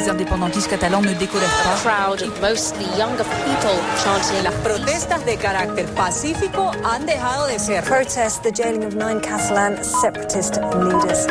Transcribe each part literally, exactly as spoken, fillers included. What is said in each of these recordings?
les indépendantistes catalans ne décolèrent pas. Crowd of mostly younger people chanting. Las protestas de carácter pacífico han dejado de ser. Protest the jailing of nine Catalan separatist leaders.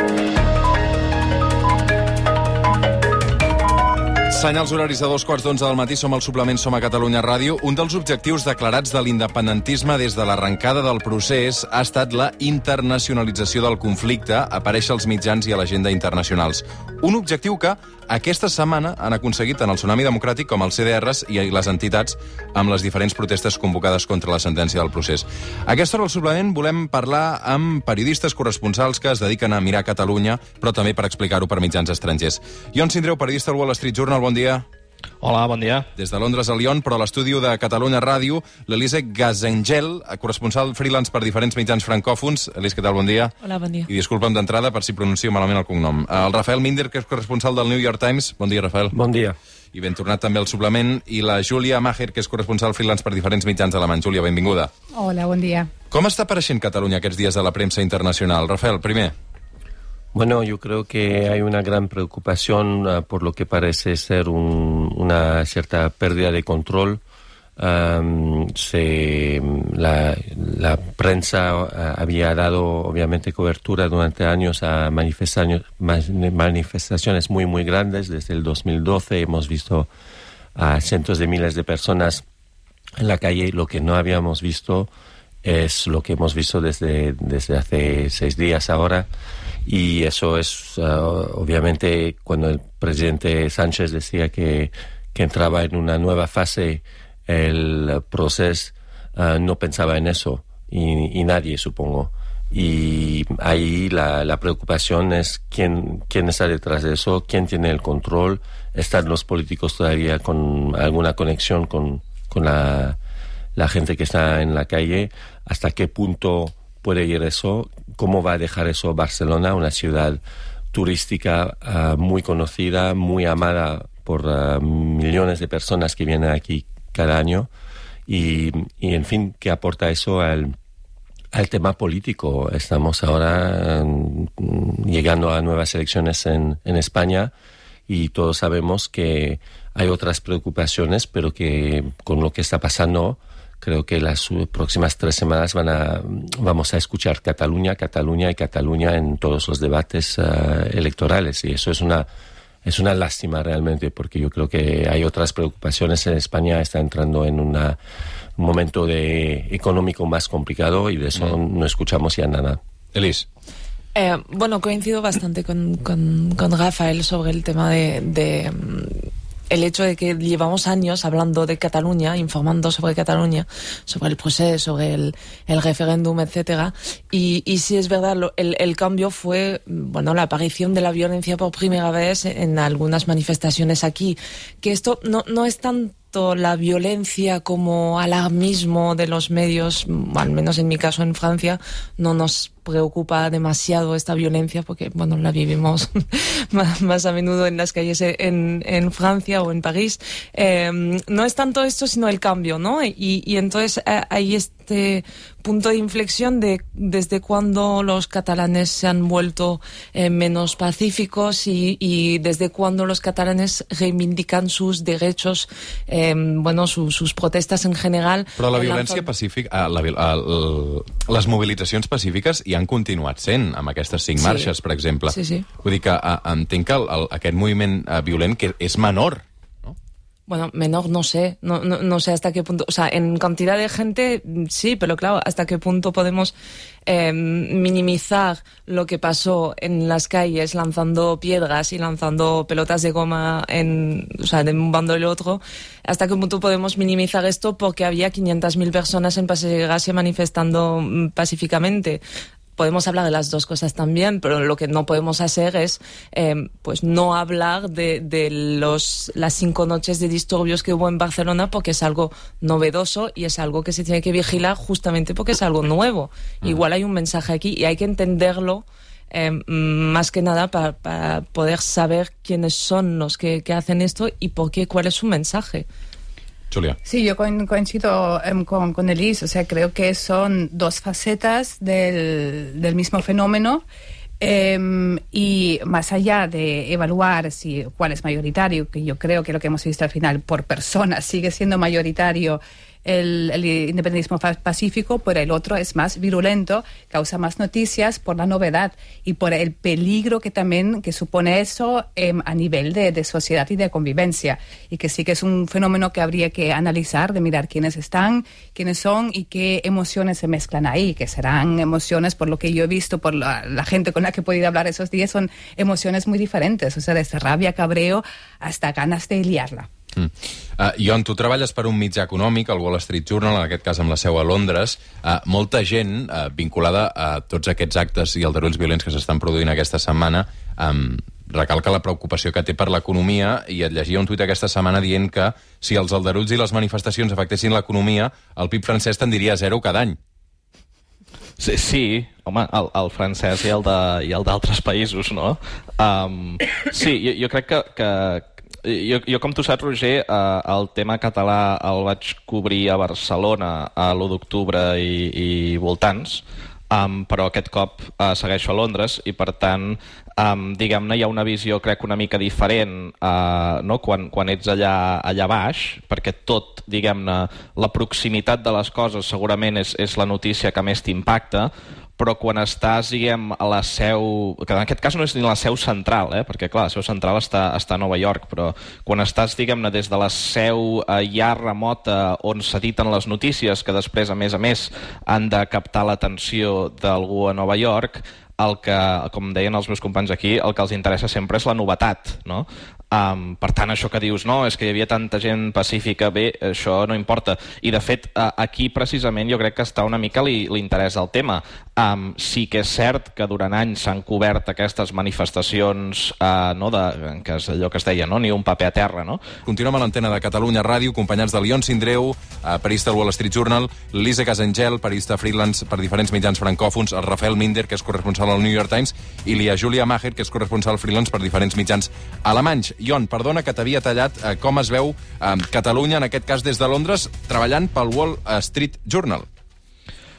Senyals horaris de dos quarts d'onze del matí, som al suplement Som a Catalunya Ràdio. Un dels objectius declarats de l'independentisme des de l'arrencada del procés ha estat la internacionalització del conflicte, aparèixer als mitjans i a l'agenda internacionals. Un objectiu que aquesta setmana han aconseguit tant el Tsunami Democràtic com els C D Rs i les entitats amb les diferents protestes convocades contra la sentència del procés. A aquesta hora al suplement volem parlar amb periodistes corresponsals que es dediquen a mirar Catalunya, però també per explicar-ho per mitjans estrangers. Ion Sindreu, periodista al Wall Street Journal, bon dia. Hola, bon dia. Des de Londres a Lyon, però a l'estudi de Catalunya Ràdio, l'Elise Gazengel, corresponsal freelance per diferents mitjans francòfons. Elise, què tal? Bon dia. Hola, bon dia. I disculpa'm d'entrada per si pronuncio malament el cognom. El Rafael Minder, que és corresponsal del New York Times. Bon dia, Rafael. Bon dia. I ben tornat també al suplement. I la Júlia Maher, que és corresponsal freelance per diferents mitjans alemanys. Júlia, benvinguda. Hola, bon dia. Com està apareixent Catalunya aquests dies a la premsa internacional? Rafael, primer. Bueno, yo creo que hay una gran preocupación uh, por lo que parece ser un, una cierta pérdida de control. Um, se, la, la prensa uh, había dado, obviamente, cobertura durante años a manifestaciones, manifestaciones muy, muy grandes. Desde el dos mil doce hemos visto a cientos de miles de personas en la calle. Lo que no habíamos visto es lo que hemos visto desde, desde hace seis días ahora. Y eso es, uh, obviamente, cuando el presidente Sánchez decía que, que entraba en una nueva fase el proceso, uh, no pensaba en eso, y, y nadie, supongo. Y ahí la, la preocupación es quién, quién está detrás de eso, quién tiene el control, están los políticos todavía con alguna conexión con, con la, la gente que está en la calle, hasta qué punto puede ir eso, cómo va a dejar eso Barcelona, una ciudad turística uh, muy conocida, muy amada por uh, millones de personas que vienen aquí cada año, y, y en fin, qué aporta eso al, al tema político. Estamos ahora um, llegando a nuevas elecciones en, en España, y todos sabemos que hay otras preocupaciones, pero que con lo que está pasando, creo que las próximas tres semanas van a, vamos a escuchar Cataluña, Cataluña y Cataluña en todos los debates uh, electorales. Y eso es una, es una lástima realmente, porque yo creo que hay otras preocupaciones. En España está entrando en una, un momento de, económico más complicado, y de eso mm. no escuchamos ya nada. Elise. Eh, bueno, coincido bastante con, con, con Rafael sobre el tema de... de el hecho de que llevamos años hablando de Cataluña, informando sobre Cataluña, sobre el proceso, sobre el, el referéndum, etcétera. Y, y sí es verdad, lo, el, el cambio fue, bueno, la aparición de la violencia por primera vez en algunas manifestaciones aquí. Que esto no, no es tanto la violencia como alarmismo de los medios, al menos en mi caso en Francia, no nos preocupa demasiado esta violencia, porque bueno, la vivimos más, más a menudo en las calles en, en Francia o en París. Eh, no es tanto esto, sino el cambio, ¿no? Y, y entonces eh, hay este punto de inflexión de desde cuando los catalanes se han vuelto eh, menos pacíficos, y, y desde cuando los catalanes reivindican sus derechos, eh, bueno, su, sus protestas en general. Però la violència lanzó... pacífica, la, la, la, les mobilitzacions pacífiques hi han continuat sent, amb aquestes cinc sí. marxes, per exemple. Sí, sí. Vull dir que a, entenc que el, el, aquest moviment uh, violent que és menor. Bueno, menor no sé, no, no, no sé hasta qué punto, o sea, en cantidad de gente sí, pero claro, hasta qué punto podemos eh, minimizar lo que pasó en las calles lanzando piedras y lanzando pelotas de goma en, o sea, de un bando y del otro, hasta qué punto podemos minimizar esto porque había quinientas mil personas en Paseo de Gracia manifestando pacíficamente. Podemos hablar de las dos cosas también, pero lo que no podemos hacer es eh, pues no hablar de, de los, las cinco noches de disturbios que hubo en Barcelona, porque es algo novedoso y es algo que se tiene que vigilar justamente porque es algo nuevo. Uh-huh. Igual hay un mensaje aquí y hay que entenderlo eh, más que nada para, para poder saber quiénes son los que, que hacen esto y por qué, cuál es su mensaje. Julia. Sí, yo coincido um, con, con Elise, o sea, creo que son dos facetas del, del mismo fenómeno, Eh, y más allá de evaluar si cuál es mayoritario, que yo creo que lo que hemos visto al final por persona sigue siendo mayoritario el, el independentismo pacífico, pero el otro es más virulento, causa más noticias por la novedad y por el peligro que también que supone eso eh, a nivel de, de sociedad y de convivencia, y que sí que es un fenómeno que habría que analizar, de mirar quiénes están, quiénes son y qué emociones se mezclan ahí, que serán emociones, por lo que yo he visto, por la, la gente con la que he podido hablar esos días, son emociones muy diferentes, o sea, desde rabia, cabreo, hasta ganas de liarla. Mm. Uh, Ion, tu treballes per un mitjà econòmic, el Wall Street Journal, en aquest cas amb la seu a Londres. Uh, molta gent uh, vinculada a tots aquests actes i aldarulls violents que s'estan produint aquesta setmana um, recalca la preocupació que té per l'economia, i et llegia un tuit aquesta setmana dient que si els aldarulls i les manifestacions afectessin l'economia, el P I B francès tendiria a zero cada any. Sí, sí, home, el, el francès i el de, i el d'altres països, no? Um, sí, jo, jo crec que... que Jo, jo, com tu saps, Roger, eh, el tema català el vaig cobrir a Barcelona a l'u d'octubre i, i voltants, um, però aquest cop uh, segueixo a Londres i, per tant, um, diguem-ne, hi ha una visió, crec, una mica diferent uh, no? quan, quan ets allà, allà baix, perquè tot, diguem-ne, la proximitat de les coses segurament és, és la notícia que més t'impacta, però quan estàs, diguem, a la seu... que en aquest cas no és ni la seu central, eh? Perquè, clar, la seu central està, està a Nova York, però quan estàs, diguem-ne, des de la seu eh, ja remota on s'editen les notícies, que després, a més a més, han de captar l'atenció d'algú a Nova York, el que, com deien els meus companys aquí, el que els interessa sempre és la novetat, no? Um, per tant, això que dius, no, és que hi havia tanta gent pacífica, bé, això no importa. I, de fet, uh, aquí precisament jo crec que està una mica l'interès del tema. Um, sí que és cert que durant anys s'han cobert aquestes manifestacions, uh, no, de, que és allò que es deia, no, ni un paper a terra, no? Continuem a l'antena de Catalunya Ràdio, acompanyats de Lion Sindreu, uh, periodista del Wall Street Journal, Lisa Casangel, periodista freelance per diferents mitjans francòfons, el Rafael Minder, que és corresponsal al New York Times, i la Júlia Maher, que és corresponsal freelance per diferents mitjans alemanys. Ion, perdona que t'havia tallat, eh, com es veu eh, Catalunya, en aquest cas des de Londres, treballant pel Wall Street Journal.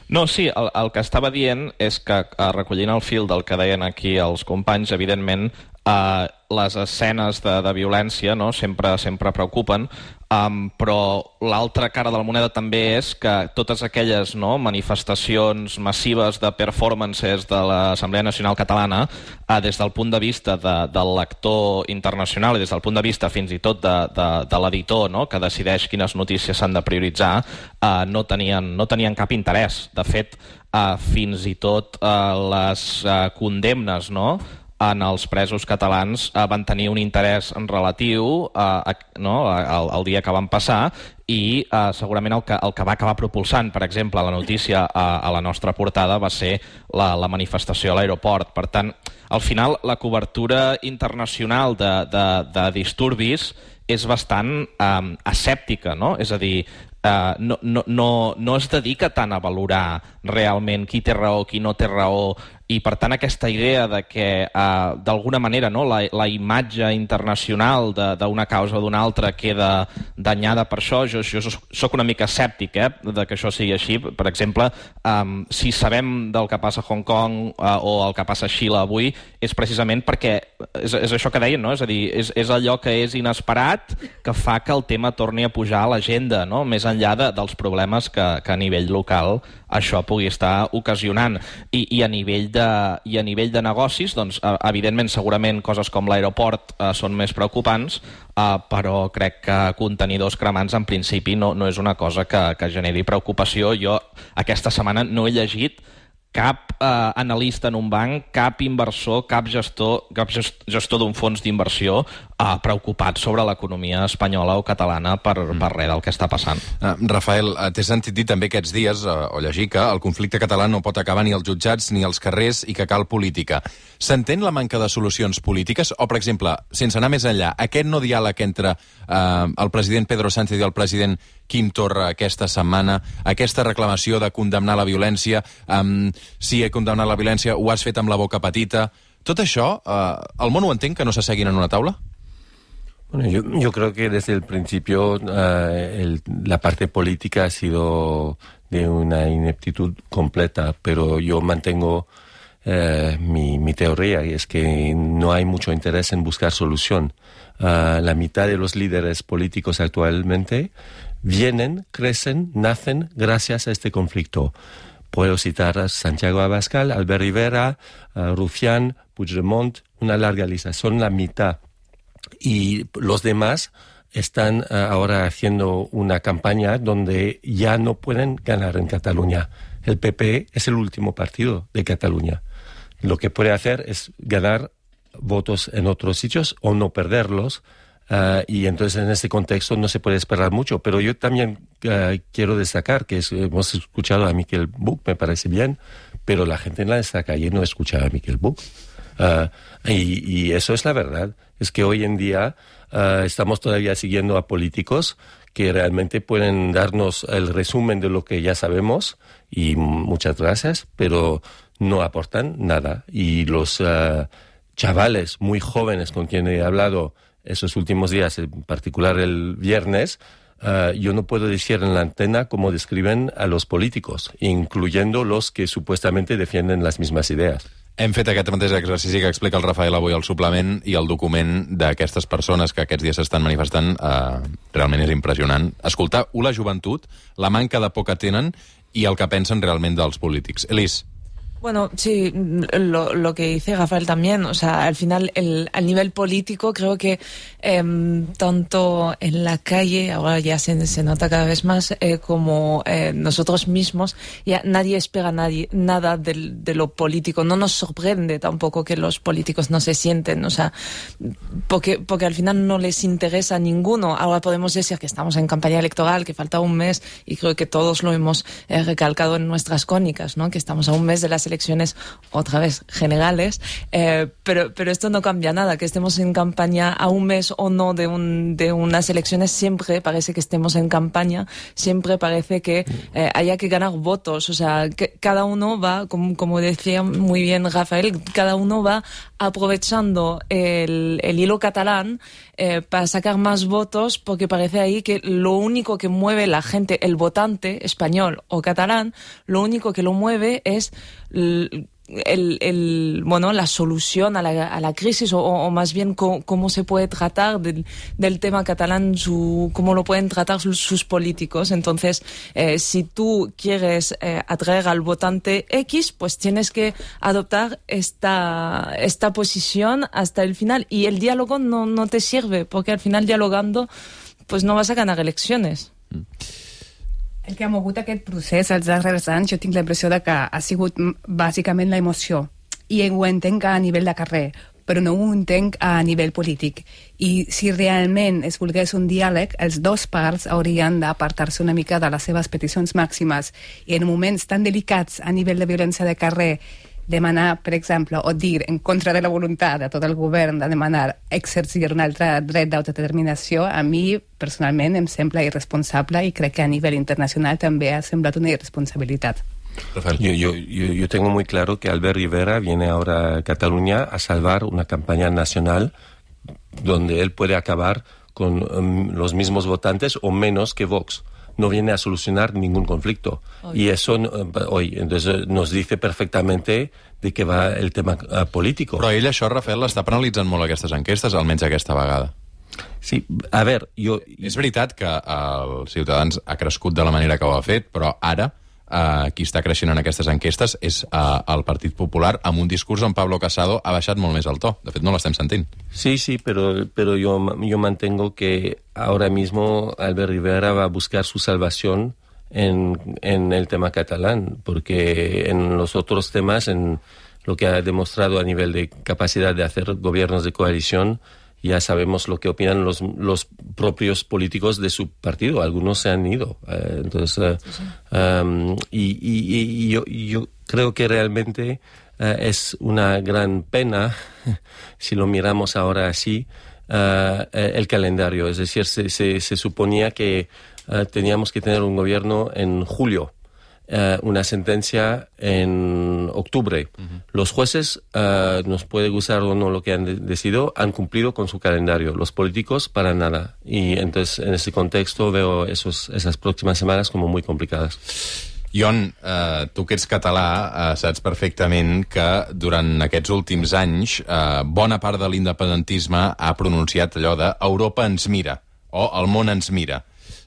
No, sí, el, el que estava dient és que, eh, recollint el fil del que deien aquí els companys, evidentment, eh, les escenes de, de violència, no?, sempre, sempre preocupen, um, però l'altra cara de la moneda també és que totes aquelles, no, manifestacions massives de performances de l'Assemblea Nacional Catalana, eh, des del punt de vista de, del lector internacional i des del punt de vista fins i tot de, de, de l'editor, no?, que decideix quines notícies s'han de prioritzar, eh, no, tenien, no tenien cap interès. De fet, eh, fins i tot eh, les eh, condemnes, no?, en els presos catalans eh, van tenir un interès relatiu eh, no, el, el dia que van passar, i eh, segurament el que, el que va acabar propulsant, per exemple, la notícia a, a la nostra portada va ser la, la manifestació a l'aeroport. Per tant, al final, la cobertura internacional de, de, de disturbis és bastant eh, escèptica, no? És a dir, eh, no, no, no, no es dedica tant a valorar realment qui té raó, qui no té raó, i per tant aquesta idea de que eh, d'alguna manera, no, la, la imatge internacional d'una causa o d'una altra queda danyada per això, jo, jo soc una mica escèptic, eh, de que això sigui així. Per exemple, um, si sabem del que passa a Hong Kong uh, o el que passa a Xile avui, és precisament perquè és, és això que deien, no? És a dir, és, és allò que és inesperat que fa que el tema torni a pujar a l'agenda, no?, més enllà de, dels problemes que, que a nivell local això pugui estar ocasionant. I, i a nivell de, i a nivell de negocis, doncs, evidentment, segurament coses com l'aeroport eh, són més preocupants, eh, però crec que contenidors cremants en principi no, no és una cosa que, que generi preocupació. Jo aquesta setmana no he llegit cap eh, analista en un banc, cap inversor, cap gestor, cap gestor d'un fons d'inversió eh, preocupat sobre l'economia espanyola o catalana per, mm. per res del que està passant. Uh, Rafael, uh, t'he sentit dir també aquests dies, uh, o llegir, que el conflicte català no pot acabar ni als jutjats ni als carrers i que cal política. S'entén la manca de solucions polítiques? O, per exemple, sense anar més enllà, aquest no diàleg entre uh, el president Pedro Sánchez i el president Quim Torra aquesta setmana, aquesta reclamació de condemnar la violència, um, si he condemnat la violència, ho has fet amb la boca petita... Tot això, uh, el món ho entén, que no s'asseguin en una taula? Bueno, yo, yo creo que desde el principio uh, el, la parte política ha sido de una ineptitud completa, pero yo mantengo eh, mi, mi teoría, y es que no hay mucho interés en buscar solución. Uh, la mitad de los líderes políticos actualmente vienen, crecen, nacen gracias a este conflicto. Puedo citar a Santiago Abascal, Albert Rivera, uh, Rufián, Puigdemont, una larga lista. Son la mitad. Y los demás están uh, ahora haciendo una campaña donde ya no pueden ganar en Cataluña. El P P es el último partido de Cataluña. Lo que puede hacer es ganar votos en otros sitios o no perderlos. Uh, y entonces en este contexto no se puede esperar mucho. Pero yo también uh, quiero destacar que es, hemos escuchado a Miquel Buch, me parece bien, pero la gente en la calle no escucha a Miquel Buch. Uh, y, y eso es la verdad. Es que hoy en día uh, estamos todavía siguiendo a políticos que realmente pueden darnos el resumen de lo que ya sabemos, y muchas gracias, pero no aportan nada. Y los uh, chavales muy jóvenes con quien he hablado esos últimos días, en particular el viernes, uh, yo no puedo decir en la antena cómo describen a los políticos, incluyendo los que supuestamente defienden las mismas ideas. Hem fet aquest mateix exercici que explica el Rafael avui al suplement, i el document d'aquestes persones que aquests dies s'estan manifestant eh, realment és impressionant. Escoltar la joventut, la manca de por que tenen i el que pensen realment dels polítics. Elis. Bueno, sí, lo, lo que dice Rafael también, o sea, al final, el, al nivel político, creo que eh, tanto en la calle, ahora ya se, se nota cada vez más, eh, como eh, nosotros mismos, ya nadie espera nadie, nada de, de lo político. No nos sorprende tampoco que los políticos no se sienten, o sea, porque, porque al final no les interesa a ninguno. Ahora podemos decir que estamos en campaña electoral, que falta un mes, y creo que todos lo hemos eh, recalcado en nuestras crónicas, ¿no? Que estamos a un mes de las elecciones otra vez generales, eh, pero, pero esto no cambia nada, que estemos en campaña a un mes o no de, un, de unas elecciones, siempre parece que estemos en campaña, siempre parece que eh, haya que ganar votos, o sea, que cada uno va, como, como decía muy bien Rafael, cada uno va aprovechando el, el hilo catalán eh, para sacar más votos, porque parece ahí que lo único que mueve la gente, el votante español o catalán, lo único que lo mueve es el, el, el, bueno, la solución a la, a la crisis, o, o más bien cómo, cómo se puede tratar del, del tema catalán, su, cómo lo pueden tratar sus, sus políticos. Entonces, eh, si tú quieres eh, atraer al votante X, pues tienes que adoptar esta, esta posición hasta el final. Y el diálogo no, no te sirve, porque al final dialogando pues no vas a ganar elecciones. Mm. El que ha mogut aquest procés els darrers anys, jo tinc la impressió de que ha sigut bàsicament la emoció. I ho entenc a nivell de carrer, però no ho entenc a nivell polític. I si realment es volgués un diàleg, els dos parts haurien d'apartar-se una mica de les seves peticions màximes. I en moments tan delicats a nivell de violència de carrer, demanar, per exemple, o dir en contra de la voluntat de tot el govern de demanar exercir un altre dret d'autodeterminació, a mi personalment em sembla irresponsable, i crec que a nivell internacional també ha semblat una irresponsabilitat. Yo, yo, yo, yo tengo muy claro que Albert Rivera viene ahora a Cataluña a salvar una campaña nacional donde él puede acabar con um, los mismos votantes o menos que Vox. No viene a solucionar ningún conflicto. Hoy. Y eso uh, hoy entonces nos dice perfectamente de què va el tema uh, político. Però ell això, Rafael, l'està penalitzant molt aquestes enquestes, almenys aquesta vegada. Sí, a veure, jo... És veritat que els Ciutadans ha crescut de la manera que ho ha fet, però ara Uh, qui està creixent en aquestes enquestes és uh, el Partit Popular, amb un discurs on Pablo Casado ha baixat molt més el to. De fet, no l'estem sentint. Sí, sí, pero, pero yo, yo mantengo que ahora mismo Albert Rivera va a buscar su salvación en, en el tema catalán, porque en los otros temas, en lo que ha demostrado a nivel de capacidad de hacer gobiernos de coalición, ya sabemos lo que opinan los, los propios políticos de su partido. Algunos se han ido. Eh, entonces, uh, sí, sí. Um, y, y, y yo, yo creo que realmente uh, es una gran pena, si lo miramos ahora así, uh, el calendario. Es decir, se, se, se suponía que uh, teníamos que tener un gobierno en julio. Uh, una sentencia en octubre. Uh-huh. Los jueces, uh, nos puede gustar o no lo que han de- decidido, han cumplido con su calendario. Los políticos, para nada. Y entonces, en ese contexto, veo esos, esas próximas semanas como muy complicadas. Ion, eh, tu que ets català, eh, saps perfectament que durant aquests últims anys eh, bona part de l'independentisme ha pronunciat allò de Europa ens mira, o el món ens mira.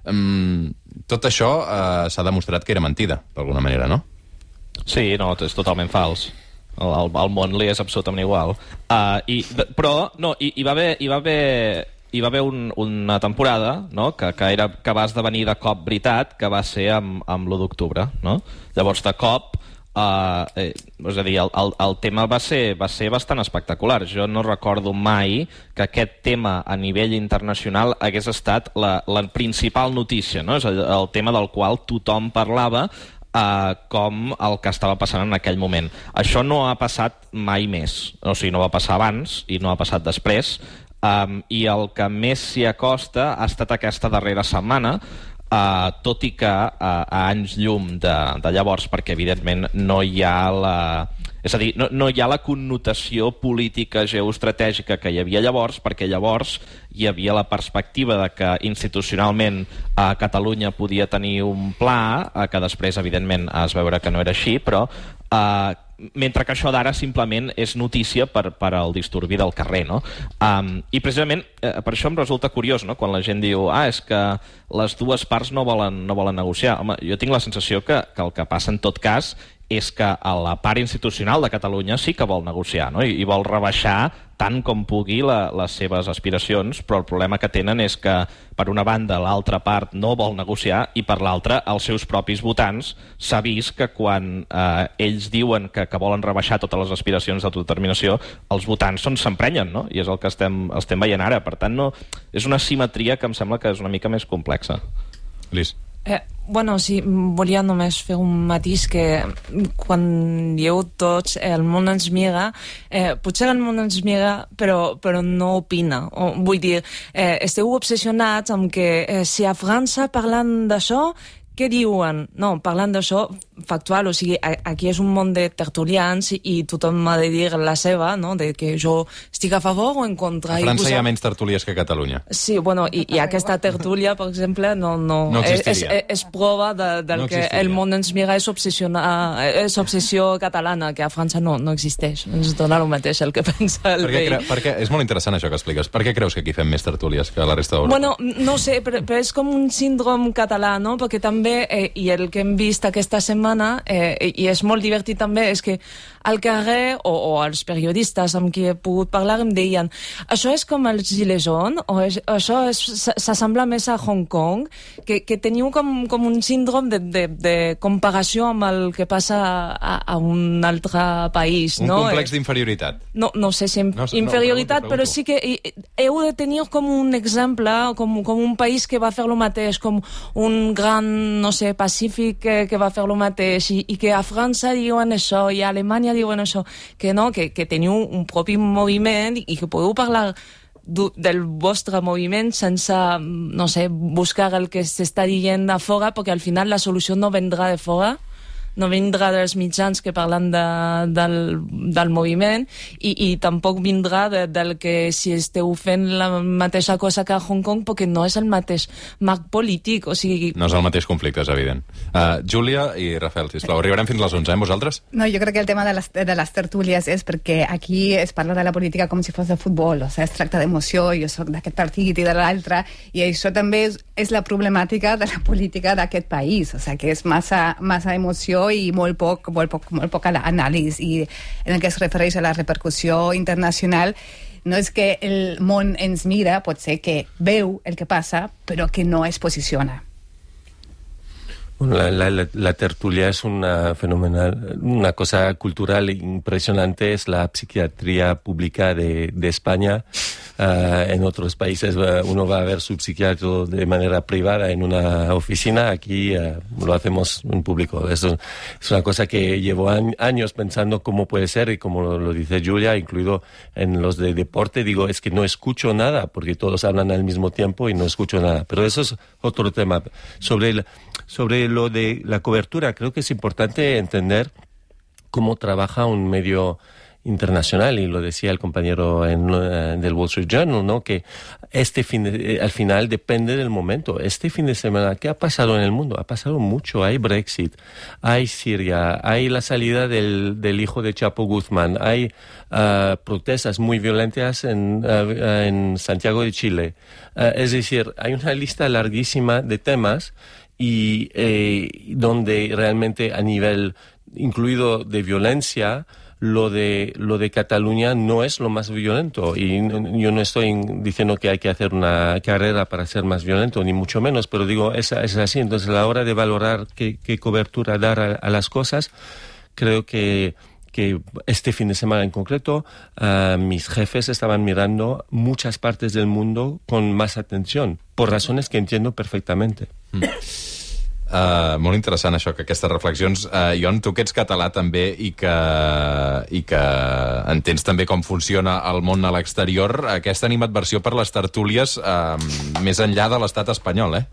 Um, tot això eh, s'ha demostrat que era mentida, d'alguna manera, no? Sí, no, és totalment fals. El, el, el món li és absolutament igual. Uh, i, però, no, hi, hi va haver... Hi va haver hi va haver un, una temporada, no?, que, que, era, que va esdevenir de cop veritat, que va ser amb, amb l'u d'octubre, no? Llavors, de cop, eh, eh, és a dir, el, el, el tema va ser, va ser bastant espectacular. Jo no recordo mai que aquest tema a nivell internacional hagués estat la, la principal notícia, no? És el, el tema del qual tothom parlava, Uh, com el que estava passant en aquell moment. Això no ha passat mai més, o sigui, no va passar abans i no ha passat després, um, i el que més s'hi acosta ha estat aquesta darrera setmana, uh, tot i que uh, a anys llum de, de llavors, perquè evidentment no hi ha la... És a dir, no, no hi ha la connotació política geoestratègica que hi havia llavors, perquè llavors hi havia la perspectiva de que institucionalment a Catalunya podia tenir un pla, que després, evidentment, es veure que no era així, però eh, mentre que això d'ara simplement és notícia per, per al disturbi del carrer, no? Um, I precisament eh, per això em resulta curiós, no?, quan la gent diu ah, és que les dues parts no volen, no volen negociar. Home, jo tinc la sensació que, que el que passa en tot cas és que a la part institucional de Catalunya sí que vol negociar, no? I, i vol rebaixar tant com pugui la, les seves aspiracions, però el problema que tenen és que, per una banda, l'altra part no vol negociar i, per l'altra, els seus propis votants s'ha vist que quan eh, ells diuen que, que volen rebaixar totes les aspiracions d'autodeterminació, els votants s'emprenyen, no? I és el que estem, estem veient ara. Per tant, no, és una simetria que em sembla que és una mica més complexa. Lis. Eh, bueno, sí, volia només fer un matís que quan dieu tots eh, el món ens mira, eh, potser el món ens mira però, però no opina. O, vull dir, eh, esteu obsessionats amb que eh, si a França parlant d'això, què diuen? No, parlant d'això factual, o sigui, aquí és un món de tertulians i tothom ha de dir la seva, no?, de que jo estic a favor o en contra. A França posar... hi ha menys tertúlies que a Catalunya. Sí, bueno, i, i aquesta tertúlia, per exemple, no, no, no és, és, és prova de, del no que el món ens mira és, és obsessió catalana, que a França no, no existeix. Ens dona el mateix el que pensa el per rei. Cre... Perquè és molt interessant això que expliques. Per què creus que aquí fem més tertúlies que a la resta d'Europa? Bueno, no sé, però, però és com un síndrom català, no?, perquè també, eh, i el que hem vist aquesta setmana, eh, i és molt divertit també, és que al carrer, o, o els periodistes amb qui he pogut parlar, em deien això és com els Gilets jaunes, o és, això s'assembla més a Hong Kong, que, que teniu com, com un síndrom de, de, de comparació amb el que passa a, a un altre país. Un no? complex d'inferioritat. No, no sé si no, inferioritat, no, pregunto, pregunto. Però sí que heu de tenir com un exemple, com, com un país que va fer el mateix, com un gran, no sé, Pacífic que, que va fer el mateix, i, i que a França diuen això, i a Alemanya diuen això, que no, que, que teniu un propi moviment i que podeu parlar del vostre moviment sense, no sé, buscar el que s'està dient a fora, perquè al final la solució no vendrà de fora, no vindrà dels mitjans que parlen de, del, del moviment, i, i tampoc vindrà de, del que si esteu fent la mateixa cosa que a Hong Kong, perquè no és el mateix marc polític, o sigui... No és el mateix conflicte, és evident. Uh, Júlia i Rafael, sisplau, arribarem fins les onze, eh, vosaltres? No, jo crec que el tema de les, de les tertúlies és perquè aquí es parla de la política com si fos de futbol, o sigui, es tracta d'emoció, jo soc d'aquest partit i de l'altre, i això també és, és la problemàtica de la política d'aquest país, o sigui, que és massa, massa emoció i molt poc, molt poc, molt poc anàlisi, i en el que es refereix a la repercussió internacional no és que el món ens mira, pot ser que veu el que passa, però que no es posiciona. Bueno, la, la, la tertulia es una fenomenal, una cosa cultural impresionante, es la psiquiatría pública de, de España. Uh, en otros países uh, uno va a ver su psiquiatra de manera privada en una oficina, aquí uh, lo hacemos en público. Eso es una cosa que llevo años pensando cómo puede ser, y como lo, lo dice Julia, incluido en los de deporte, digo, es que no escucho nada, porque todos hablan al mismo tiempo y no escucho nada. Pero eso es otro tema. Sobre el, sobre lo de la cobertura, creo que es importante entender cómo trabaja un medio internacional, y lo decía el compañero en, uh, del Wall Street Journal, ¿no? Que este fin de, eh, al final depende del momento. Este fin de semana, ¿qué ha pasado en el mundo? Ha pasado mucho. Hay Brexit, hay Siria, hay la salida del, del hijo de Chapo Guzmán, hay uh, protestas muy violentas en, uh, en Santiago de Chile. Uh, es decir, hay una lista larguísima de temas y eh, donde realmente a nivel incluido de violencia, lo de lo de Cataluña no es lo más violento, y yo no estoy diciendo que hay que hacer una carrera para ser más violento, ni mucho menos, pero digo, es, es así. Entonces, a la hora de valorar qué, qué cobertura dar a, a las cosas, creo que que este fin de semana en concreto uh, mis jefes estaban mirando muchas partes del mundo con más atención, por razones que entiendo perfectamente. Mm. Uh, molt interessant això, que aquestes reflexions, uh, Ion, tu que ets català també i que, i que entens també com funciona el món a l'exterior, aquesta animadversió per les tertúlies uh, més enllà de l'estat espanyol, eh?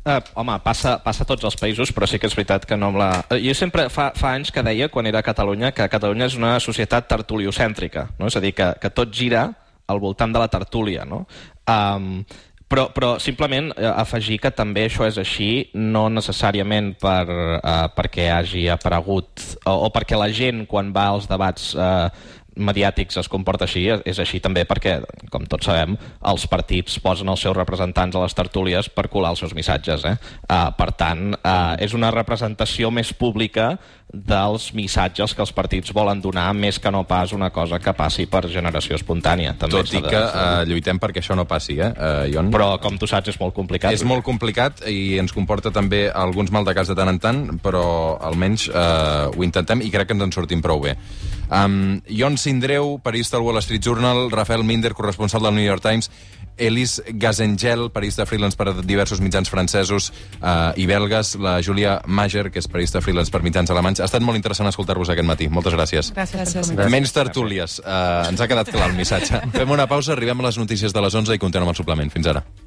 Uh, home, passa, passa a tots els països, però sí que és veritat que no amb la... Jo sempre fa, fa anys que deia, quan era a Catalunya, que Catalunya és una societat tertuliocèntrica, no? És a dir, que, que tot gira al voltant de la tertúlia, no? Um, Però, però simplement eh, afegir que també això és així, no necessàriament per, eh, perquè hagi aparegut o, o perquè la gent quan va als debats eh, mediàtics es comporta així, és així també perquè, com tots sabem, els partits posen els seus representants a les tertúlies per colar els seus missatges. Eh? Uh, per tant, uh, és una representació més pública dels missatges que els partits volen donar, més que no pas una cosa que passi per generació espontània. També Tot i que uh, lluitem perquè això no passi, eh, uh, Ion? Però, com tu saps, és molt complicat. És molt complicat i ens comporta també alguns maldecaps de tant en tant, però almenys uh, ho intentem i crec que ens en sortim prou bé. Um, Ion Sindreu, periodista del Wall Street Journal, Rafael Minder, corresponsal del New York Times, Elise Gazengel, periodista freelance per diversos mitjans francesos uh, i belgues, la Julia Mager, que és periodista freelance per mitjans alemanys. Ha estat molt interessant escoltar-vos aquest matí. Moltes gràcies. Gràcies. Gràcies. Menys tertúlies. Uh, ens ha quedat clar el missatge. Fem una pausa, arribem a les notícies de les onze i continuem el suplement. Fins ara.